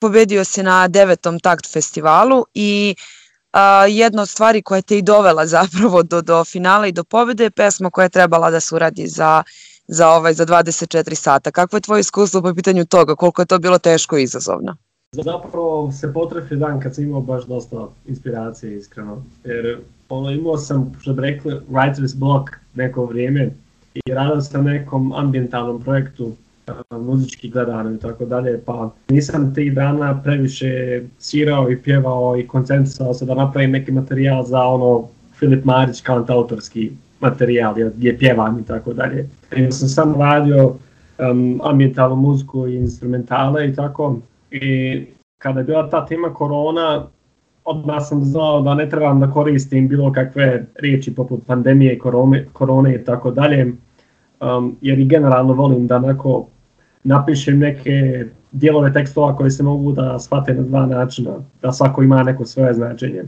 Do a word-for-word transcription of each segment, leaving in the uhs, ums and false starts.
Pobedio si na devetom Takt festivalu i a, jedna od stvari koja te i dovela zapravo do, do finala i do pobede je pesma koja je trebala da se uradi za, za, ovaj, za dvadeset četiri sata. Kakvo je tvoje iskustvo po pitanju toga? Koliko je to bilo teško i izazovno? Zapravo se potrefio dan kad sam imao baš dosta inspiracije, iskreno. Jer ono, imao sam, što bi rekli, writer's block neko vrijeme i radio sam nekom ambientalnom projektu, muzički gledano i tako dalje, pa nisam tih dana previše svirao i pjevao i koncentrisao se da napravim neki materijal za ono Filip Marić kantautorski materijal gdje pjevam i tako dalje. I sam samo radio um, ambientalnu muziku i instrumentale i tako. I kada je bila ta tema korona, odmah sam znao da ne trebam da koristim bilo kakve riječi poput pandemije, korone, korone i tako dalje, um, jer i generalno volim da onako napišem neke dijelove tekstova koje se mogu da shvate na dva načina, da svako ima neko svoje značenje.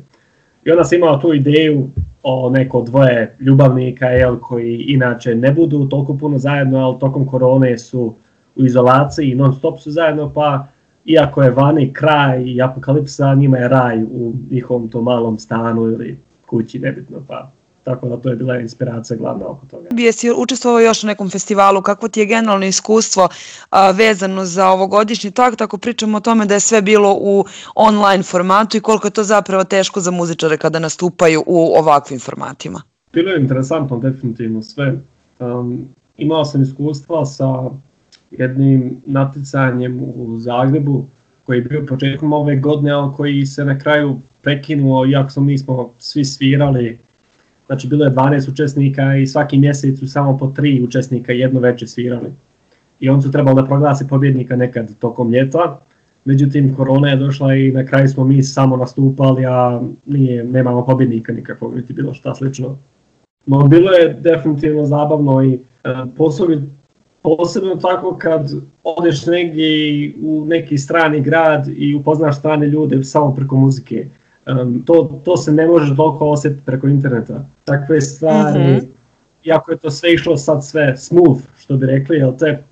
I onda sam imao tu ideju o neko dvoje ljubavnika, jel, koji inače ne budu toliko puno zajedno, ali tokom korone su u izolaciji i non stop su zajedno, pa iako je vani kraj i apokalipsa, njima je raj u njihovom tom malom stanu ili kući, nebitno, pa tako da to je bila inspiracija glavna oko toga. Jesi učestvovao još na nekom festivalu, kakvo ti je generalno iskustvo a, vezano za ovogodišnji Takt, ako pričamo o tome da je sve bilo u online formatu i koliko je to zapravo teško za muzičare kada nastupaju u ovakvim formatima? Bilo je interesantno, definitivno sve. Um, imao sam iskustva sa jednim natjecanjem u Zagrebu koji je bio početkom ove godine, ali koji se na kraju prekinuo, iako smo mi smo svi svirali. Znači bilo je dvanaest učesnika i svaki mjesec su samo po tri učesnika jedno večer svirali. I on su trebali da proglasi pobjednika nekad tokom ljeta. Međutim, korona je došla i na kraju smo mi samo nastupali, a nije, nemamo pobjednika nikakvog, niti bilo šta slično. No bilo je definitivno zabavno i e, posebno, posebno tako kad odeš negdje u neki strani grad i upoznaš strane ljude samo preko muzike. Um, to, to se ne može toliko osjetiti preko interneta. Takve stvari, mm-hmm. iako je to sve išlo sad sve smooth, što bi rekli, jel te,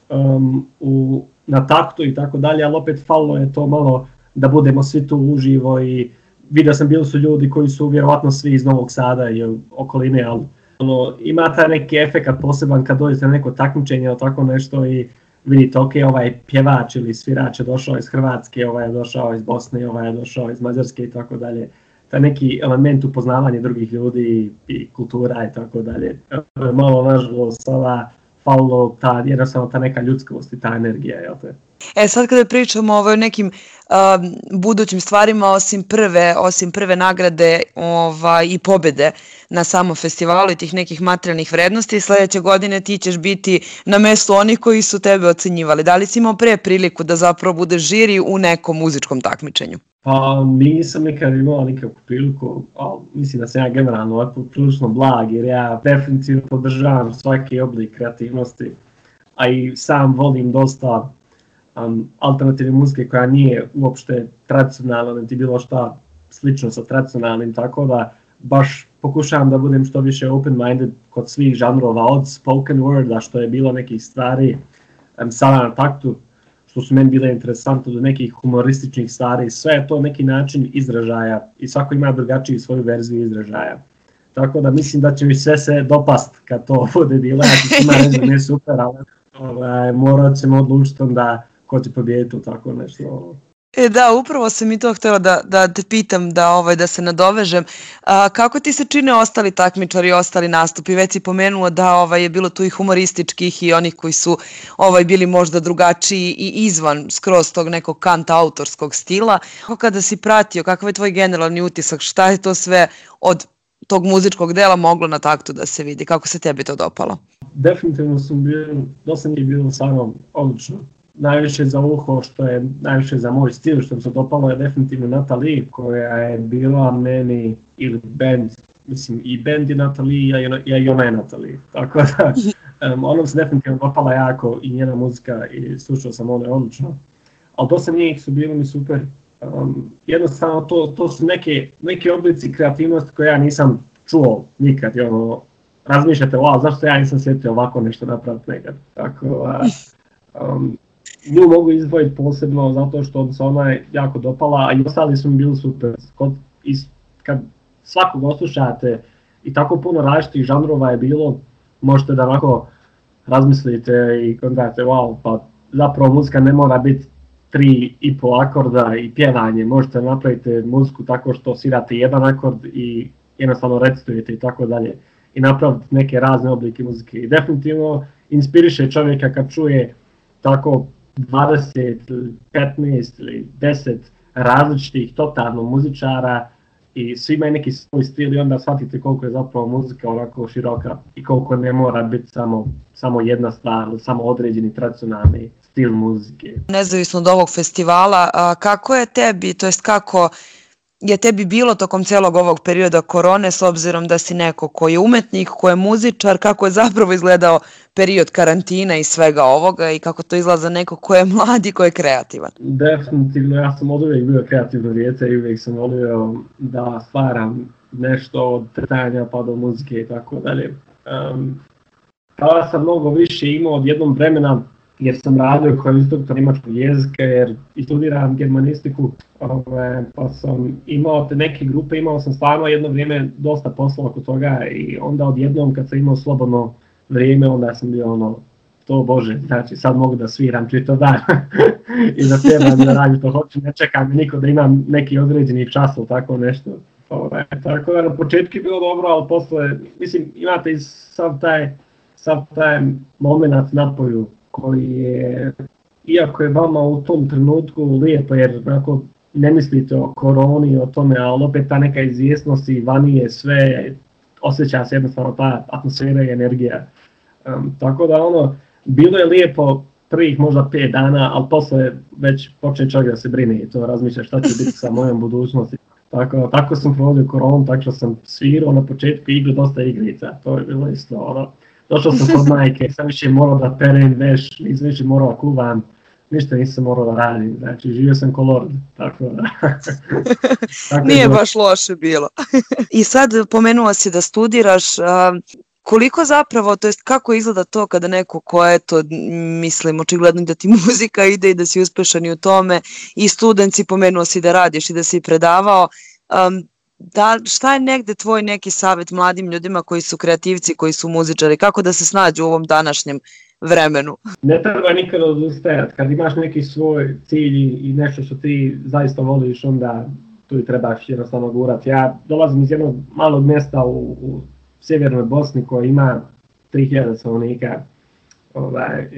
um, u, na taktu i tako dalje, ali opet falilo je to malo da budemo svi tu uživo i vidio sam bili su ljudi koji su vjerovatno svi iz Novog Sada i okoline, ali ono, ima taj neki efekat poseban kad dođete na neko takmičenje ili tako nešto i vidite, ok, ovaj pjevač ili svirač je došao iz Hrvatske, ovaj je došao iz Bosne, ovaj je došao iz Mađarske i tako dalje. Taj neki element upoznavanja drugih ljudi i kultura i tako dalje. Malo nažalost sada falilo ta, jednostavno ta neka ljudskost i ta energija, jel te? E sad kada pričamo o nekim um, budućim stvarima, osim prve, osim prve nagrade ovaj, i pobjede na samom festivalu i tih nekih materijalnih vrednosti, sljedeće godine ti ćeš biti na mjestu onih koji su tebe ocenjivali. Da li si imao pre priliku da zapravo budeš žiri u nekom muzičkom takmičenju? Pa nisam nikad imao nikakvu priliku, ali mislim da sam ja generalno ovako prilično blag, jer ja definitivno podržavam svaki oblik kreativnosti, a i sam volim dosta Um, alternativne muzike koja nije uopšte tradicionalna, niti bilo šta slično sa tradicionalnim, tako da baš pokušavam da budem što više open-minded kod svih žanrova, od spoken worda, što je bilo nekih stvari um, sada na taktu, što su meni bile interesantne, do nekih humorističnih stvari, sve je to neki način izražaja i svako ima drugačiju svoju verziju izražaja. Tako da mislim da će mi sve se dopast kad to bude bilo, ja ću ima reći da nije super, ali ovaj, morat ćemo odlučiti da ko će pobijediti u tako nešto. E, da, upravo sam i to htjela da, da te pitam, da, ovaj, da se nadovežem. A, kako ti se čine ostali takmičari i ostali nastupi? Već si pomenuo da ovaj, je bilo tu i humorističkih i onih koji su ovaj, bili možda drugačiji i izvan skroz tog nekog kanta autorskog stila. Kako kada si pratio, kakav je tvoj generalni utisak, šta je to sve od tog muzičkog dela moglo na taktu da se vidi? Kako se tebi to dopalo? Definitivno sam bio, dosta nije bilo samo odlično. Najviše za uho, što je najviše za moj stil, što mi se dopalo je definitivno Natalie, koja je bila meni, ili band, mislim i band je Natalie, ja, ja i ona je Natalie, tako da um, ona se definitivno dopala jako i njena muzika i slušao sam ono odlično, ali dosta njih su bili mi super, um, jednostavno to, to su neke, neke oblici kreativnosti koje ja nisam čuo nikad, i ono, razmišljate, wow, zašto ja nisam sjetio ovako nešto napraviti nekad, tako da, um, nju mogu izdvojiti posebno zato što se ona je jako dopala, a i ostali su mi bili super. Kod, is, kad svakog oslušate i tako puno različitih žanrova je bilo, možete da onako razmislite i kontate, wow, pa zapravo muzika ne mora biti tri i pol akorda i pjevanje, možete napraviti muziku tako što svirate jedan akord i jednostavno recitujete i tako dalje i napraviti neke razne oblike muzike. I definitivno inspiriše čovjeka kad čuje tako dvadeset, petnaest ili deset različitih totalno muzičara i svi imaju neki svoj stil i onda shvatite koliko je zapravo muzika onako široka i koliko ne mora biti samo, samo jedna stvar, samo određeni tradicionalni stil muzike. Nezavisno od ovog festivala, a kako je tebi, to jest kako je tebi bilo tokom celog ovog perioda korone, s obzirom da si neko ko je umetnik, ko je muzičar, kako je zapravo izgledao period karantina i svega ovoga i kako to izgleda za neko ko je mlad i ko je kreativan? Definitivno, ja sam od uvijek bio kreativno djece i uvijek sam volio da stvaram nešto od tretanja pa do muzike i tako dalje. Um, tada sam mnogo više imao od jednog vremena jer sam radio kao instruktor njemačkog jezika jer i studiram germanistiku, ove, pa sam imao te neke grupe, imao sam stvarno jedno vrijeme dosta posla oko toga i onda odjednom kad sam imao slobodno vrijeme onda sam bio ono, to bože, znači sad mogu da sviram čito dan i da trebam da radim to hoću, ne čekam niko da imam neki određeni čas ili tako nešto. Ove, tako da na početku je bilo dobro, ali posle, mislim, imate i sav taj, sav taj moment napoju koji je, iako je vama u tom trenutku lijepo jer onako ne mislite o koroni i o tome, ali opet ta neka izvjesnost i vani je sve, osjeća se jednostavno ta atmosfera i energija. Um, tako da ono, bilo je lijepo prvih možda pet dana, ali posle već počne čovjek da se brine i to razmišlja šta će biti sa mojom budućnosti. Tako, tako sam provodio koronu, tako što sam svirao na početku igru dosta igrica, to je bilo isto ono. Došao sam kod majke, sam više morao da perem veš, nisam više morao da kuvam, ništa nisam morao da radim, znači živio sam ko lord, tako da. tako Nije baš loše bilo. I sad pomenuo si da studiraš, koliko zapravo, to jest kako izgleda to kada neko ko je to, mislim, očigledno da ti muzika ide i da si uspešan i u tome, i student si, pomenuo si da radiš i da si predavao, um, Da, šta je negde tvoj neki savjet mladim ljudima koji su kreativci, koji su muzičari, kako da se snađu u ovom današnjem vremenu? Ne treba nikada odustajati, kad imaš neki svoj cilj i nešto što ti zaista voliš, onda tu i trebaš jednostavno gurati. Ja dolazim iz jednog malog mjesta u, u sjevernoj Bosni koja ima tri hiljade stanovnika. Ovaj,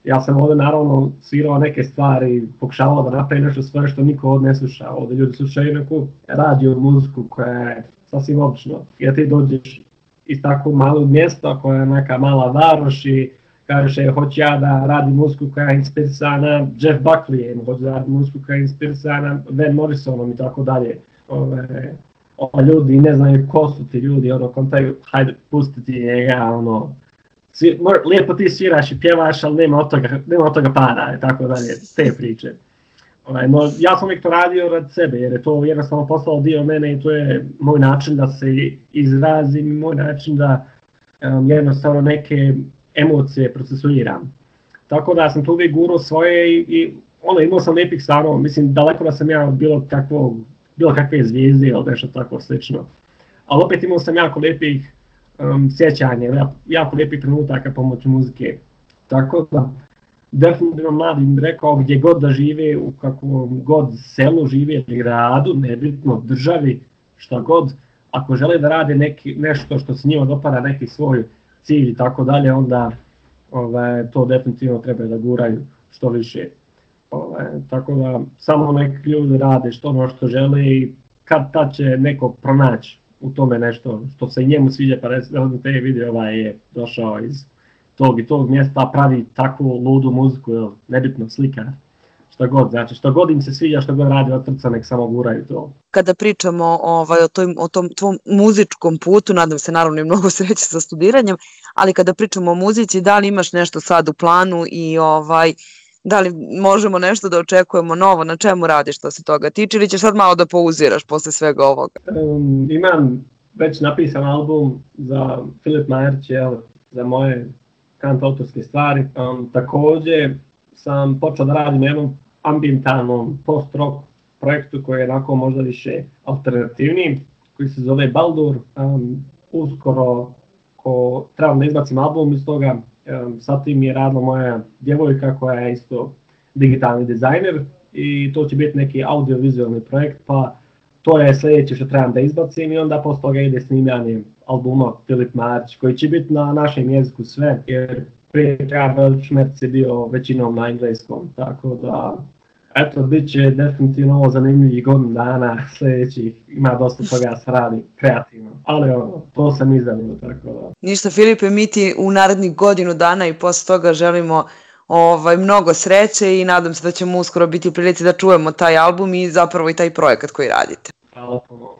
ja sam ovdje naravno svirao neke stvari, pokušavao da napravim nešto sve što niko ovdje ne sluša. Ovdje ljudi slušaju neku radio muziku koja je sasvim obično. Jer ti dođeš iz takvog malog mjesta koja je neka mala varoš i kažeš je, hoću ja da radim muziku koja je inspirisana Jeff Buckleyem, hoću da radim muziku koja je inspirisana Van Morrisonom i tako dalje. Ove, ove ljudi ne znaju ko su ti ljudi, ono, kontaju, hajde pustiti njega, ono, Svi, lijepo ti sviraš i pjevaš, ali nema od toga, nema od toga para, tako dalje, te priče. Ovaj, no, ja sam uvijek to radio rad sebe, jer je to jednostavno postalo dio mene i to je moj način da se izrazim, moj način da um, jednostavno neke emocije procesuiram. Tako da sam tu uvijek gurao svoje i, i ono, imao sam lijepih stanova, mislim, daleko da sam ja od bilo, kakvog, bilo kakve zvijezde ili nešto tako slično. Ali opet imao sam jako lijepih Um, sjećanje, jako lijepih trenutaka pomoću muzike. Tako da, definitivno mladim rekao gdje god da žive, u kakvom god selu žive ili gradu, nebitno državi, šta god, ako žele da rade neki, nešto što se njima dopada, neki svoj cilj i tako dalje, onda ovaj, to definitivno treba da guraju što više. Ovaj, tako da, samo neki ljudi rade što ono što žele i kad tad će neko pronaći u tome nešto što se njemu sviđa, pa recimo te vidi ovaj je došao iz tog i tog mjesta, pravi takvu ludu muziku, ili nebitno slika, što god, znači što god im se sviđa, što god radi od srca, nek samo guraju to. Kada pričamo ovaj, o, toj, o tom tvom muzičkom putu, nadam se naravno i mnogo sreće sa studiranjem, ali kada pričamo o muzici, da li imaš nešto sad u planu i ovaj, da li možemo nešto da očekujemo novo, na čemu radiš što se toga tiče ili ćeš sad malo da pauziraš posle svega ovoga? Um, imam već napisan album za Filip Majerć, za moje kant autorske stvari. Um, također sam počeo da radim na jednom ambientalnom post-rock projektu koji je onako možda više alternativniji, koji se zove Baldur. Um, uskoro ko trebam da izbacim album iz toga, um, sa tim je radila moja djevojka koja je isto digitalni dizajner i to će biti neki audiovizualni projekt, pa to je sljedeće što trebam da izbacim i onda posle toga ide snimanje albuma Filip Marić koji će biti na našem jeziku sve, jer prije toga Velč Merc je bio većinom na engleskom, tako da eto, bit će definitivno ovo zanimljivih godinu dana sljedećih, ima dosta toga se radi kreativno, ali ono, to sam izdavio, tako da. Ništa Filipe, mi ti u narednih godinu dana i posle toga želimo ovaj, mnogo sreće i nadam se da ćemo uskoro biti u prilici da čujemo taj album i zapravo i taj projekat koji radite. Hvala puno.